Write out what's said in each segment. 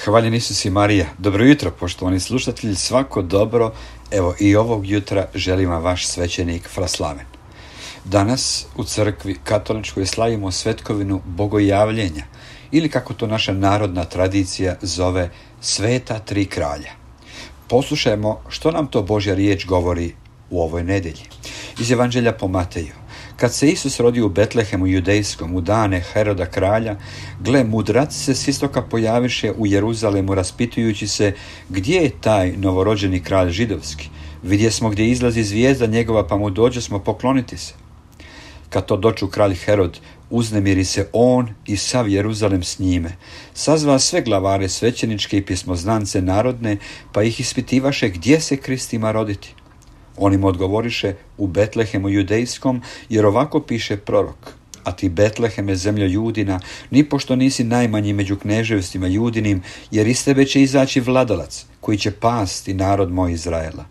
Hvaljen Isus i Marija. Dobro jutro, poštovani slušatelji, svako dobro. Evo i ovog jutra želim vam vaš svećenik Fraslaven. Danas u crkvi katoličkoj slavimo svetkovinu Bogojavljenja, ili kako to naša narodna tradicija zove, Sveta tri kralja. Poslušajmo što nam to Božja riječ govori u ovoj nedjelji. Iz Evanđelja po Mateju. Kad se Isus rodio u Betlehemu judejskom u dane Heroda kralja, gle, mudraci se s istoka pojaviše u Jeruzalemu raspitujući se gdje je taj novorođeni kralj židovski. Vidjesmo gdje izlazi zvijezda njegova, pa mu dođosmo pokloniti se. Kad to doču kralj Herod, uznemiri se on i sav Jeruzalem s njime. Sazva sve glavare svećeničke i pismoznance narodne, pa ih ispitivaše gdje se Krist ima roditi. On im odgovoriše, u Betlehemu judejskom, jer ovako piše prorok: a ti Betleheme, zemljo Judina, nipošto nisi najmanji među kneževstvima Judinim, jer iz tebe će izaći vladalac, koji će pasti narod moj Izraela.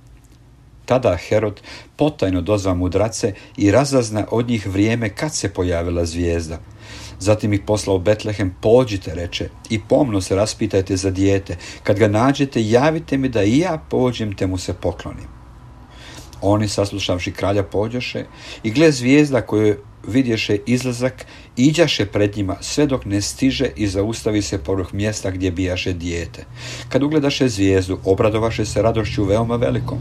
Tada Herod potajno dozva mudrace i razazna od njih vrijeme kad se pojavila zvijezda. Zatim ih poslao u Betlehem, pođite, reče, i pomno se raspitajte za dijete. Kad ga nađete, javite mi da i ja pođem te mu se poklonim. Oni, saslušavši kralja, pođoše i gle, zvijezda koju vidješe izlazak, iđaše pred njima sve dok ne stiže i zaustavi se poruh mjesta gdje bijaše dijete. Kad ugledaše zvijezdu, obradovaše se radošću veoma velikom.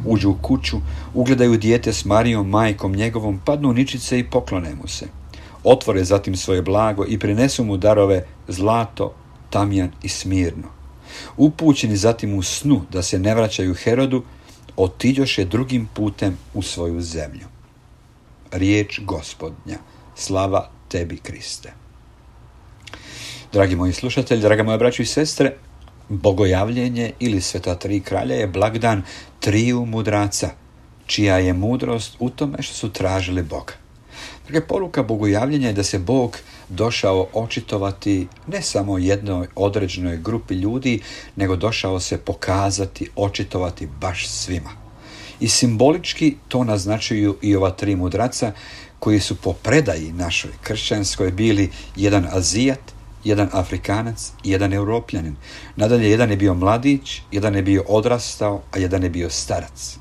Uđu u kuću, ugledaju dijete s Marijom, majkom njegovom, padnu ničice i poklone mu se. Otvore zatim svoje blago i prinesu mu darove zlato, tamjan i smirno. Upućeni zatim u snu da se ne vraćaju Herodu, otiđoše drugim putem u svoju zemlju. Riječ Gospodnja. Slava tebi, Kriste. Dragi moji slušatelji, draga moja braćo i sestre, Bogojavljenje ili Sveta tri kralja je blagdan triju mudraca, čija je mudrost u tome što su tražili Boga. Dakle, poruka Bogojavljenja je da se Bog došao očitovati ne samo jednoj određenoj grupi ljudi, nego došao se pokazati, očitovati baš svima. I simbolički to naznačuju i ova tri mudraca koji su po predaji našoj kršćanskoj bili jedan Azijat, jedan Afrikanac i jedan Europljanin. Nadalje, jedan je bio mladić, jedan je bio odrastao, a jedan je bio starac.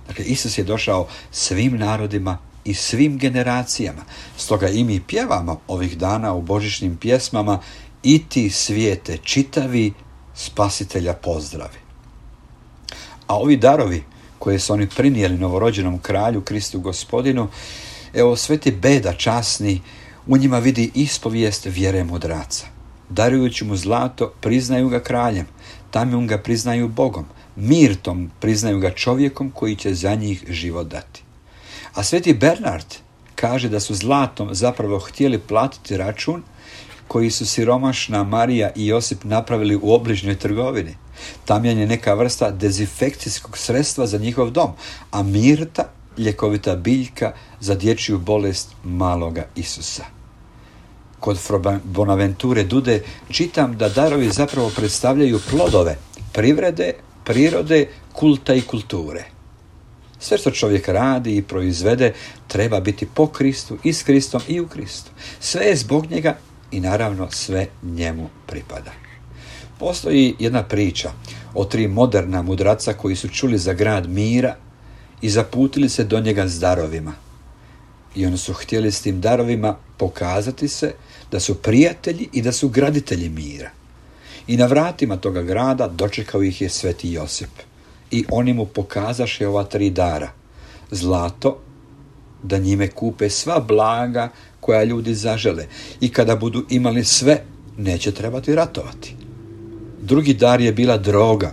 Dakle, Isus je došao svim narodima i svim generacijama. Stoga i mi pjevamo ovih dana u božićnim pjesmama: i ti svijete čitavi, Spasitelja pozdravi. A ovi darovi koje su oni prinijeli novorođenom kralju Kristu Gospodinu, evo, Sveti Beda časni u njima vidi ispovijest vjere mudraca. Darujući mu zlato, priznaju ga kraljem, tamjom ga priznaju Bogom, mirtom priznaju ga čovjekom koji će za njih život dati. A Sveti Bernard kaže da su zlatom zapravo htjeli platiti račun koji su siromašna Marija i Josip napravili u obližnjoj trgovini. Tamjan je neka vrsta dezinfekcijskog sredstva za njihov dom, a mirta ljekovita biljka za dječju bolest maloga Isusa. Kod Bonaventure Dude čitam da darovi zapravo predstavljaju plodove privrede, prirode, kulta i kulture. Sve što čovjek radi i proizvede treba biti po Kristu i s Kristom i u Kristu. Sve je zbog njega i naravno sve njemu pripada. Postoji jedna priča o tri moderna mudraca koji su čuli za grad mira i zaputili se do njega s darovima. I oni su htjeli s tim darovima pokazati se da su prijatelji i da su graditelji mira. I na vratima toga grada dočekao ih je Sveti Josip. I oni mu pokazaše ova tri dara. Zlato, da njime kupe sva blaga koja ljudi zažele. I kada budu imali sve, neće trebati ratovati. Drugi dar je bila droga,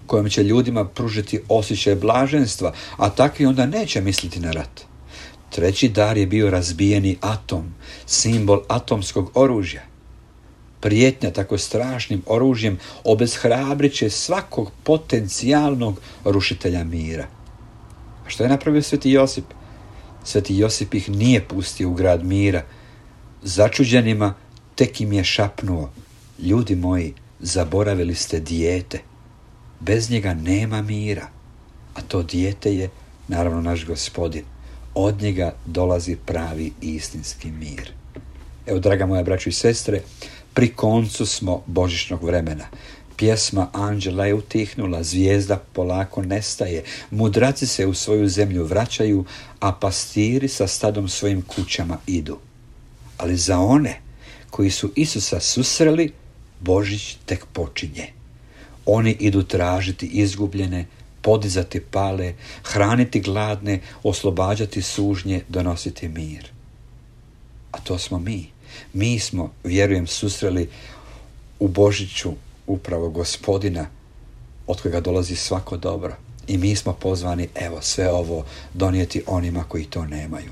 kojom će ljudima pružiti osjećaj blaženstva, a takvi onda neće misliti na rat. Treći dar je bio razbijeni atom, simbol atomskog oružja. Prijetnja tako strašnim oružjem obeshrabrit će svakog potencijalnog rušitelja mira. A što je napravio Sveti Josip? Sveti Josip ih nije pustio u grad mira. Začuđenima tek im je šapnuo: ljudi moji, zaboravili ste dijete. Bez njega nema mira. A to dijete je, naravno, naš Gospodin. Od njega dolazi pravi istinski mir. Evo, draga moja braćo i sestre, pri koncu smo božićnog vremena. Pjesma anđela je utihnula, zvijezda polako nestaje, mudraci se u svoju zemlju vraćaju, a pastiri sa stadom svojim kućama idu. Ali za one koji su Isusa susreli, Božić tek počinje. Oni idu tražiti izgubljene, podizati pale, hraniti gladne, oslobađati sužnje, donositi mir. A to smo mi. Mi smo, vjerujem, susreli u Božiću upravo Gospodina od kojega dolazi svako dobro. I mi smo pozvani, evo, sve ovo donijeti onima koji to nemaju.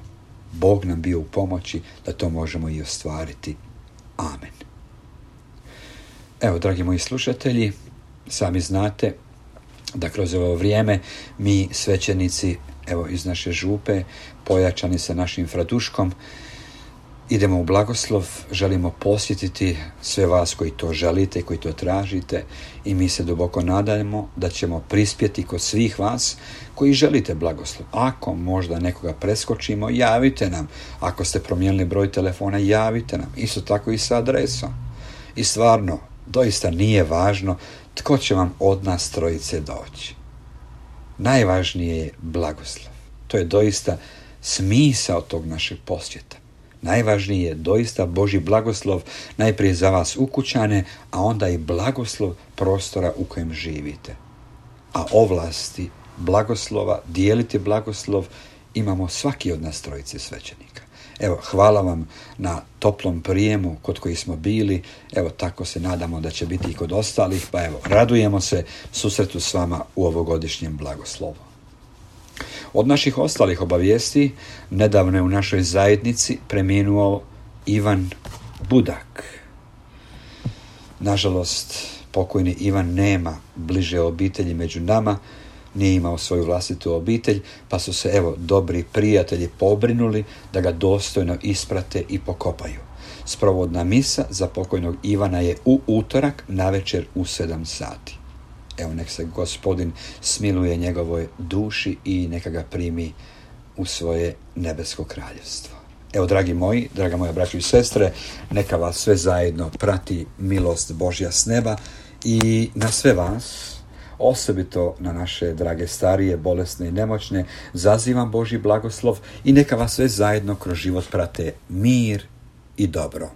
Bog nam bio u pomoći da to možemo i ostvariti. Amen. Evo, dragi moji slušatelji, sami znate da kroz ovo vrijeme mi svećenici, evo, iz naše župe, pojačani sa našim Fraduškom, idemo u blagoslov, želimo posjetiti sve vas koji to želite, koji to tražite, i mi se duboko nadajemo da ćemo prispjeti kod svih vas koji želite blagoslov. Ako možda nekoga preskočimo, javite nam. Ako ste promijenili broj telefona, javite nam. Isto tako i sa adresom. I stvarno, doista nije važno tko će vam od nas trojice doći. Najvažnije je blagoslov. To je doista smisao tog našeg posjeta. Najvažniji je doista Božji blagoslov, najprije za vas ukućane, a onda i blagoslov prostora u kojem živite. A ovlasti blagoslova, dijeliti blagoslov, imamo svaki od nas trojice svećenika. Evo, hvala vam na toplom prijemu kod kojih smo bili. Evo, tako se nadamo da će biti i kod ostalih. Pa evo, radujemo se susretu s vama u ovogodišnjem blagoslovu. Od naših ostalih obavijesti, nedavno je u našoj zajednici preminuo Ivan Budak. Nažalost, pokojni Ivan nema bliže obitelji među nama, nije imao svoju vlastitu obitelj, pa su se, evo, dobri prijatelji pobrinuli da ga dostojno isprate i pokopaju. Sprovodna misa za pokojnog Ivana je u utorak navečer u 7 sati. Evo, nek se Gospodin smiluje njegovoj duši i neka ga primi u svoje nebesko kraljevstvo. Evo, dragi moji, draga moja braćo i sestre, neka vas sve zajedno prati milost Božja s neba i na sve vas, osobito na naše drage starije, bolesne i nemoćne, zazivam Božji blagoslov i neka vas sve zajedno kroz život prate mir i dobro.